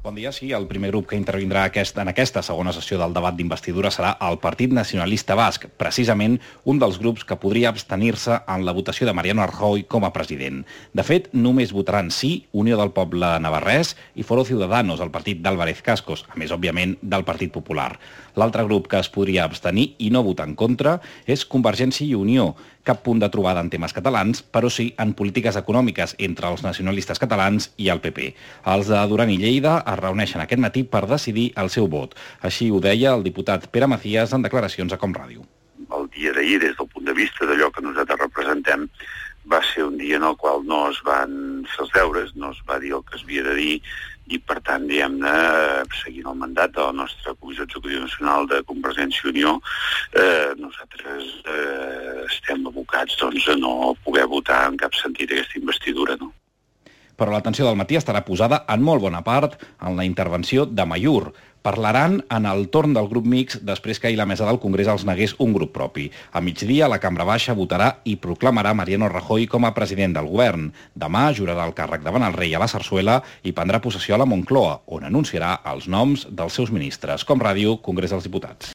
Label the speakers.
Speaker 1: Bon dia. Sí, el primer grup que intervindrà en aquesta segona sessió del debat d'investidura serà el Partit Nacionalista Basc, precisament un dels grups que podria abstenir-se en la votació de Mariano Rajoy com a president. De fet, només votaran sí Unió del Poble Navarrès i Foro Ciudadanos, el partit d'Álvarez Cascos, a més, òbviament, del Partit Popular. L'altre grup que es podria abstenir i no votar en contra és Convergència i Unió. Cap punt de trobada en temes catalans, però sí en polítiques econòmiques entre els nacionalistes catalans i el PP. Els de Duran i Lleida es reuneixen aquest matí per decidir el seu vot. Així ho deia el diputat Pere Macías en declaracions a Comràdio.
Speaker 2: El dia d'ahir, des del punt de vista d'allò que nosaltres representem, va ser un dia en el qual no es van fer els deures, no es va dir el que es havia de dir, i per tant, diguem-ne, seguint el mandat de la nostra Comissió Executiva Nacional de Convergència i Unió, nosaltres estem abocats a no poder votar en cap sentit aquesta investidura, no?
Speaker 1: Però l'atenció del matí estarà posada en molt bona part en la intervenció de Mayur. Parlaran en el torn del grup mixt després que ahir la mesa del Congrés els negués un grup propi. A migdia, la Cambra Baixa votarà i proclamarà Mariano Rajoy com a president del govern. Demà jurarà el càrrec davant el rei a la Sarsuela i prendrà possessió a la Moncloa, on anunciarà els noms dels seus ministres. Comràdio, Congrés dels Diputats.